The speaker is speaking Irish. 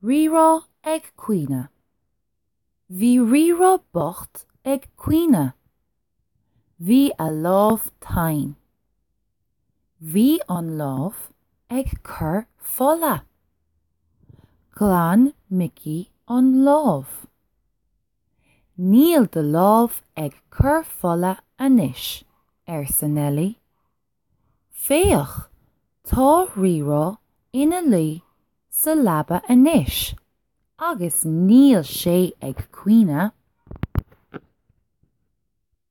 Rírá ag caoineadh. Bhí Rírá bocht ag caoineadh. Bhí a lámh tinn. Bhí an lámh ag cur fola. Ghlan Micí an lámh. Níl do lámh ag cur fola anois, arsa Neilí. Féach, tá Rírá ina luí sa leaba anois agus níl sé ag caoineadh.